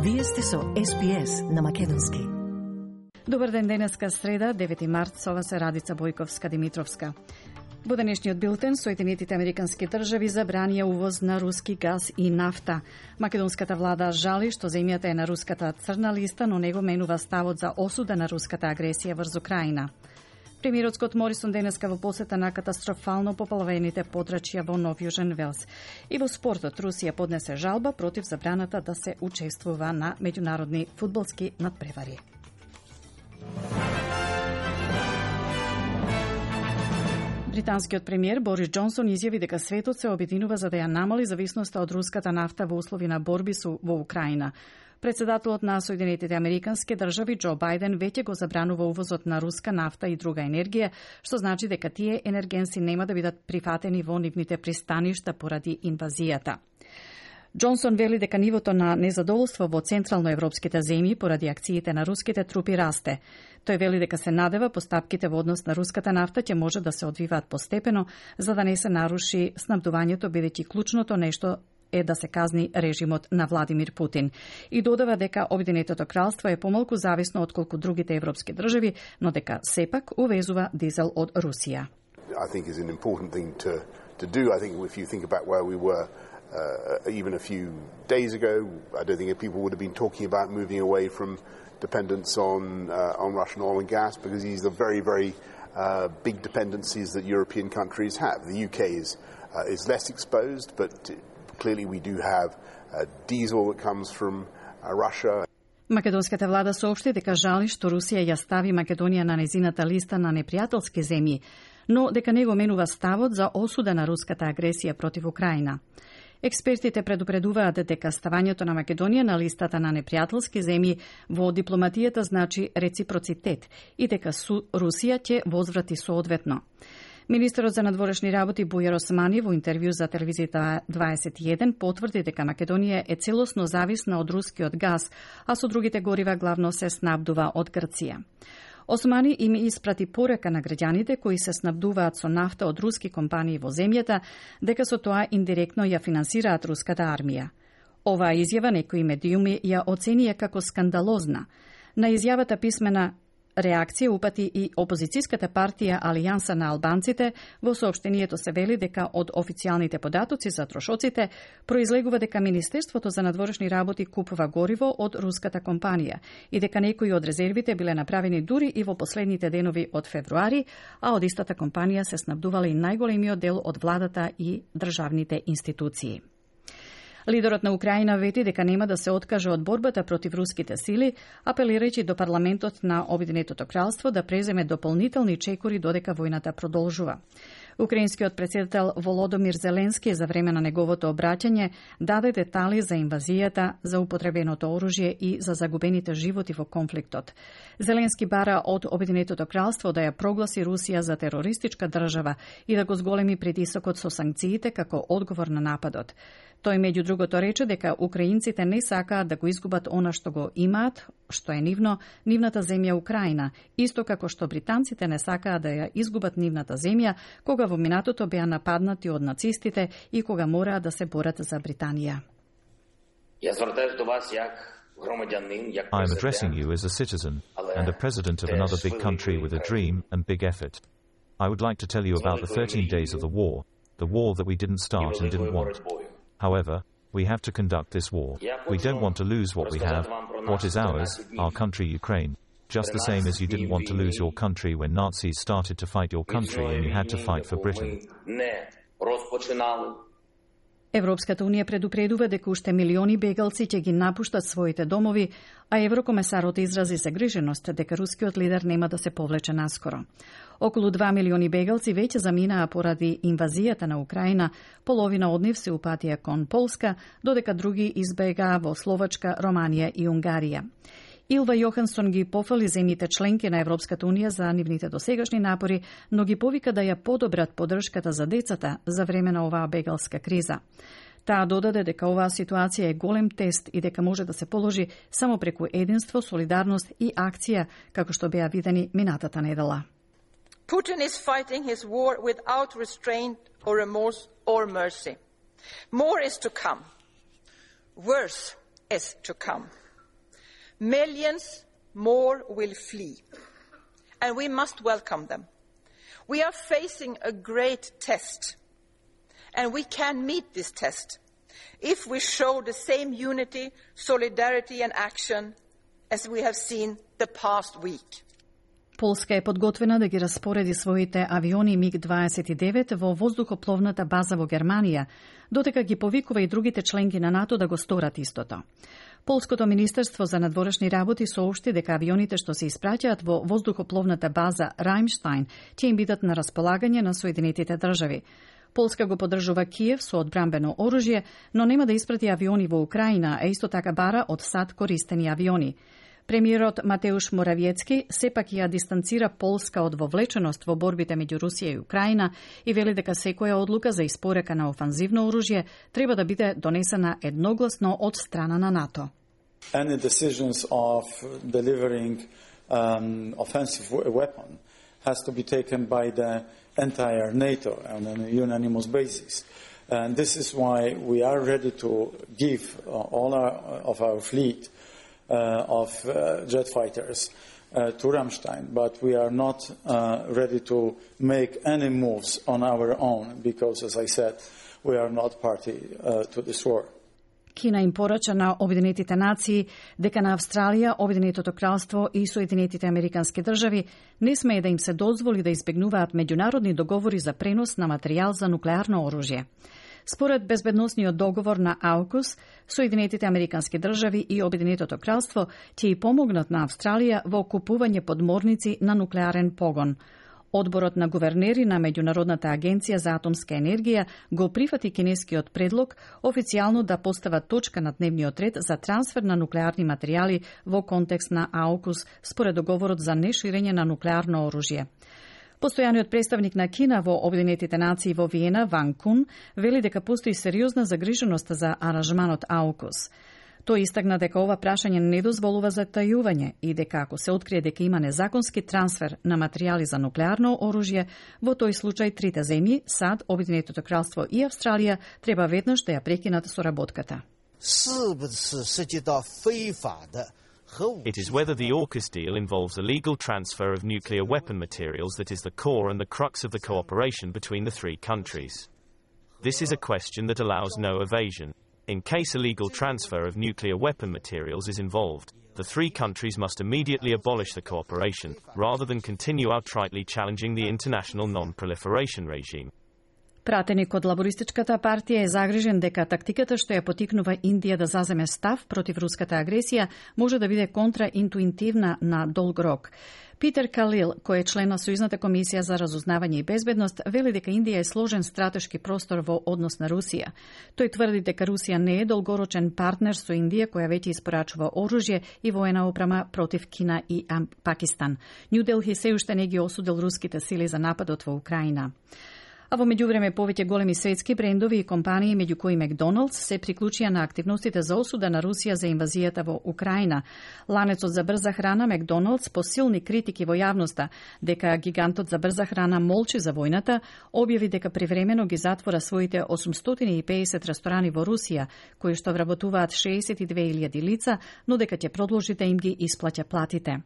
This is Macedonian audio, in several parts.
Вие сте со СПС на македонски. Добар ден, денеска среда, 9 март, со вас е Радица Бојковска-Димитровска. Во денешниот билтен, Соединетите американски држави забранија увоз на руски газ и нафта. Македонската влада жали што земјата е на руската црна листа, но него менува ставот за осуда на руската агресија врз Украина. Премиерот Скот Морисон денеска во посета на катастрофално поплавените подрачја во Нов Јужен Велс. И во спортот, Русија поднесе жалба против забраната да се учествува на меѓународни фудбалски надпревари. Британскиот премиер Борис Џонсон изјави дека светот се обединува за да ја намали зависноста од руската нафта во услови на борби во Украина. Председателот на Соединетите американски држави Џо Бајден веќе го забранува увозот на руска нафта и друга енергија, што значи дека тие енергенси нема да бидат прифатени во нивните пристаништа поради инвазијата. Џонсон вели дека нивото на незадоволство во централноевропските земји поради акциите на руските трупи расте. Тој вели дека се надева постапките во однос на руската нафта ќе може да се одвиваат постепено, за да не се наруши снабдувањето, бидејќи клучното нешто е да се казни режимот на Владимир Путин. И додава дека Обединетото кралство е помалку зависно отколку другите европски држави, но дека сепак увезува дизел од Русија. I think is an important thing to do. I think if you think about where we were even a few days ago, I don't think people would have been talking about moving away from dependence on Russian oil and gas, because these are very, very big dependencies that European countries have. The UK is less exposed, but clearly we do have diesel that comes from Russia. Македонската влада соопшти дека жали што Русија ја стави Македонија на незината листа на непријателски земји, но дека него менува ставот за осуда на руската агресија против Украина. Експертите предупредуваат дека ставањето на Македонија на листата на непријателски земји во дипломатијата значи реципроцитет и дека Русија ќе возврати соодветно. Министерот за надворешни работи Бујар Османи во интервју за телевизијата 21 потврди дека Македонија е целосно зависна од рускиот газ, а со другите горива главно се снабдува од Грција. Османи им испрати порека на граѓаните кои се снабдуваат со нафта од руски компании во земјата, дека со тоа индиректно ја финансираат руската армија. Оваа изјава некои медиуми ја оценија како скандалозна. На изјавата писмена реакција упати и опозицијската партија Алијанса на албанците. Во соопштението се вели дека од официјалните податоци за трошоците произлегува дека Министерството за надворешни работи купува гориво од руската компанија и дека некои од резервите биле направени дури и во последните денови од февруари, а од истата компанија се снабдувала и најголемиот дел од владата и државните институции. Лидерот на Украина вети дека нема да се откаже од борбата против руските сили, апелирајќи до парламентот на Обединетото кралство да преземе дополнителни чекори додека војната продолжува. Украинскиот претседател Володомир Зеленски за време на неговото обраќање даде детали за инвазијата, за употребеното оружје и за загубените животи во конфликтот. Зеленски бара од Обединетото кралство да ја прогласи Русија за терористичка држава и да го зголеми притисокот со санкциите како одговор на нападот. Тој меѓу другото рече дека украинците не сакаат да го изгубат она што го имаат, што е нивната земја Украина, исто како што британците не сакаат да ја изгубат нивната земја кога во минатото беа нападнати од нацистите и кога мораа да се борат за Британија. I am addressing you as a citizen and a president of another big country with a dream and big effort. I would like to tell you about the 13 days of the war that we didn't start and didn't want. However, we have to conduct this war. We don't want to lose what we have, what is ours, our country Ukraine. Just the same as you didn't want to lose your country when Nazis started to fight your country and you had to fight for Britain. Европската унија предупредува дека уште милиони бегалци ќе ги напуштат своите домови, а еврокомесарот изрази загриженост дека рускиот лидер нема да се повлече наскоро. Околу 2 милиони бегалци веќе заминаа поради инвазијата на Украина, половина од нив се упатија кон Полска, додека други избегаа во Словачка, Романија и Унгарија. Илва Јохансон ги пофали земјите членки на Европската унија за нивните досегашни напори, но ги повика да ја подобрат поддршката за децата за време на оваа бегалска криза. Таа додаде дека оваа ситуација е голем тест и дека може да се положи само преку единство, солидарност и акција, како што беа видени минатата недела. Putin is fighting his war without restraint or remorse or mercy. More is to come. Worse is to come. millions more will flee, and we must welcome them. We are facing a great test, and we can meet this test if we show the same unity, solidarity and action as we have seen the past week. Полска е подготвена да ги распореди своите авиони МиГ-29 во воздухопловната база во Германија, додека ги повикува и другите членки на НАТО да го сторат истото. Полското министерство за надворешни работи соопшти дека авионите што се испраќаат во воздухопловната база Рајмштајн ќе им бидат на располагање на Соединетите држави. Полска го поддржува Киев со одбранбено оружје, но нема да испрати авиони во Украина, а исто така бара од САД користени авиони. Премиерот Матеуш Моравиецки сепак ја дистанцира Полска од вовлеченост во борбите меѓу Русија и Украина и вели дека секоја одлука за испорека на офанзивно оружје треба да биде донесена едногласно од страна на НАТО. Any decisions of delivering offensive weapon has to be taken by the entire NATO on a unanimous basis. And this is why we are ready to give all of our fleet of jet fighters to Rammstein, but we are not ready to make any moves on our own because, as I said, we are not party to this war. Кина им порача на Обединетите нации дека на Австралија, Обединетото кралство и Соединетите американски држави не смее да им се дозволи да избегнуваат меѓународни договори за пренос на материјал за нуклеарно оружје. Според безбедносниот договор на AUKUS, Соединетите американски држави и Обединетото кралство ќе и помогнат на Австралија во купување подморници на нуклеарен погон. Одборот на гувернери на Меѓународната агенција за атомска енергија го прифати кинескиот предлог официјално да постава точка на дневниот ред за трансфер на нуклеарни материјали во контекст на AUKUS според договорот за неширење на нуклеарно оружје. Постојаниот представник на Кина во Обединетите нации во Виена, Ван Кун, вели дека постои сериозна загриженост за аранжманот AUKUS. Тој истакна дека ова прашање не дозволува затајување и дека ако се открие дека има незаконски трансфер на материјали за нуклеарно оружје, во тој случај трите земји, САД, Обединетото кралство и Австралија, треба веднаш да ја прекинат соработката. It is whether the AUKUS deal involves a legal transfer of nuclear weapon materials that is the core and the crux of the cooperation between the three countries. This is a question that allows no evasion. In case a legal transfer of nuclear weapon materials is involved, the three countries must immediately abolish the cooperation, rather than continue outrightly challenging the international non-proliferation regime. Пратеник од Лабористичката партија е загрижен дека тактиката што ја потикнува Индија да заземе став против руската агресија може да биде контраинтуитивна на долг рок. Питер Калил, кој е член на Сојузната комисија за разузнавање и безбедност, вели дека Индија е сложен стратешки простор во однос на Русија. Тој тврди дека Русија не е долгорочен партнер со Индија, која веќе испорачува оружје и воена опрема против Кина и Пакистан. Нью Делхи се уште не ги осудил руските сили за нападот во Украина. А во меѓувреме повеќе големи светски брендови и компании, меѓу кои Макдоналдс, се приклучија на активностите за осуда на Русија за инвазијата во Украина. Ланецот за брза храна Макдоналдс по силни критики во јавноста дека гигантот за брза храна молчи за војната, објави дека привремено ги затвора своите 850 ресторани во Русија, кои што вработуваат 62.000 лица, но дека ќе продолжи да им ги исплаќа платите.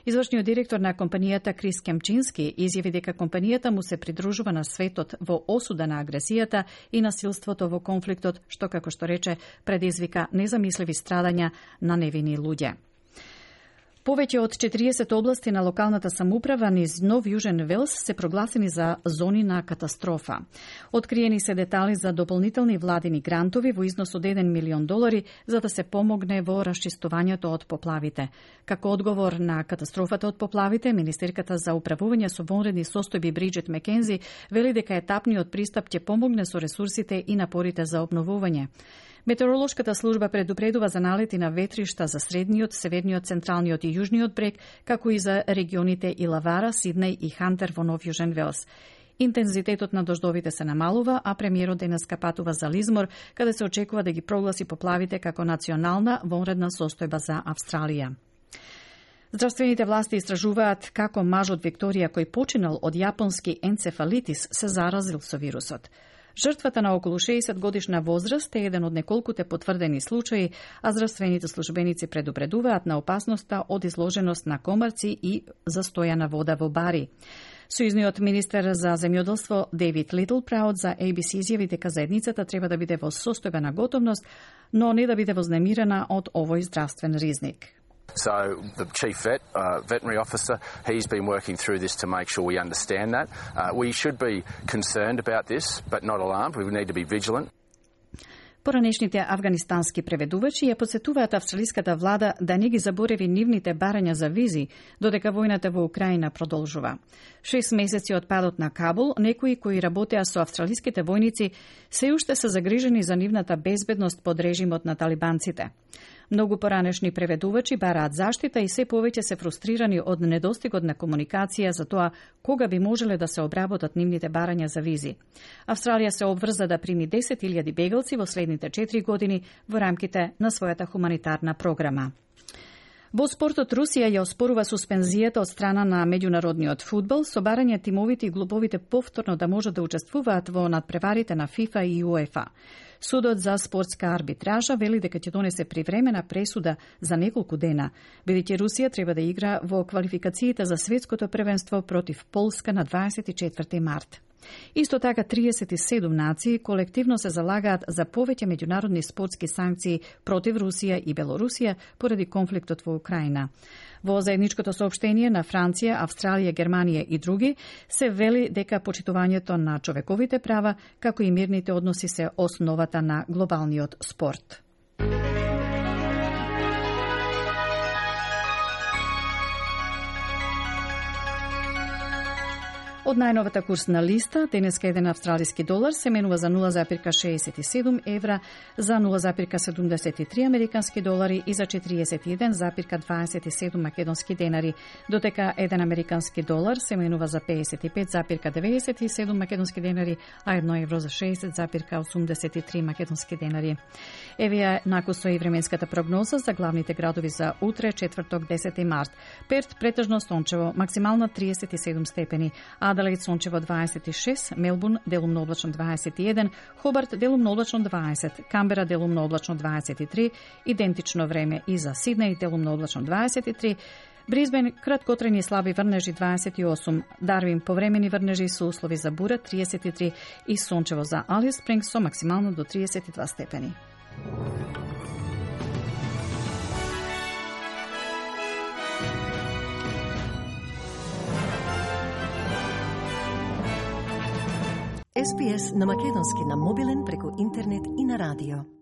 Извршниот директор на компанијата Крис Кемчински изјави дека компанијата му се придружува на светот во осуда на агресијата и насилството во конфликтот, што, како што рече, предизвика незамисливи страдања на невини луѓе. Повеќе од 40 области на локалната самоуправа низ Нов Јужен Велс се прогласени за зони на катастрофа. Откриени се детали за дополнителни владини грантови во износ од $1 милион за да се помогне во расчистувањето од поплавите. Како одговор на катастрофата од поплавите, Министерката за управување со вонредни состојби Бриджит Мекензи вели дека етапниот пристап ќе помогне со ресурсите и напорите за обновување. Метеоролошката служба предупредува за налети на ветришта за средниот, северниот, централниот и јужниот брег, како и за регионите Илавара, Сиднеј и Хантер во Нов Јужен Велс. Интензитетот на дождовите се намалува, а премиерот денеска патува за Лизмор, каде се очекува да ги прогласи поплавите како национална вонредна состојба за Австралија. Здравствените власти истражуваат како мажот Викторија, кој починал од јапонски енцефалитис, се заразил со вирусот. Жртвата на околу 60 годишна возраст е еден од неколкуте потврдени случаи, а здравствените службеници предупредуваат на опасноста од изложеност на комарци и застојана вода во бари. Сојузниот министер за земјоделство Дейвид Литлпраут за ABC изјави дека заедницата треба да биде во состојбена готовност, но не да биде вознемирена од овој здравствен ризник. So the chief veterinary officer, he's been working through this to make sure we understand that. We should be concerned about this, but not alarmed. We need to be vigilant. Поранешните афганистански преведувачи ја посетуваат австралиската влада да не ги забореви нивните барања за визи, додека војната во Украина продолжува. 6 месеци од падот на Кабул, некои кои работеа со австралиските војници се уште се загрижени за нивната безбедност под режимот на талибанците. Многу поранешни преведувачи бараат заштита и се повеќе се фрустрирани од недостигот на комуникација за тоа кога би можеле да се обработат нивните барања за визи. Австралија се обврза да прими 10.000 бегалци во следните 4 години во рамките на својата хуманитарна програма. Во спортот Русија ја оспорува суспензијата од страна на меѓународниот фудбал со барање тимовите и клубовите повторно да можат да учествуваат во надпреварите на ФИФА и УЕФА. Судот за спортска арбитража вели дека ќе донесе привремена пресуда за неколку дена, бидејќи Русија треба да игра во квалификациите за светското првенство против Полска на 24 март. Исто така 37 нации колективно се залагаат за повеќе меѓународни спортски санкции против Русија и Белорусија поради конфликтот во Украина. Во заедничкото соопштение на Франција, Австралија, Германија и други се вели дека почитувањето на човековите права, како и мирните односи се основата на глобалниот спорт. Од најновата курсна листа, денеска еден австралиски долар се менува за 0,67 евра, за 0,73 американски долари и за 41,27 македонски денари, дотека еден американски долар се менува за 55,97 македонски денари, а 1 евро за 60,83 македонски денари. Еве накусо и временската прогноза за главните градови за утре, четврток, 10 март. Перт претежно сончево, максимално 37 степени, Аделаид сончево 26, Мелбурн делумно облачно 21, Хобарт делумно облачно 20, Камбера делумно облачно 23, идентично време и за Сиднеј делумно облачно 23, Брисбен краткотрajни слаби врнежи 28, Дарвин повремени врнежи со услови за бура 33 и сончево за Алис Спрингс со максимално до 32 степени. SPS на македонски на мобилен преку интернет и на радио.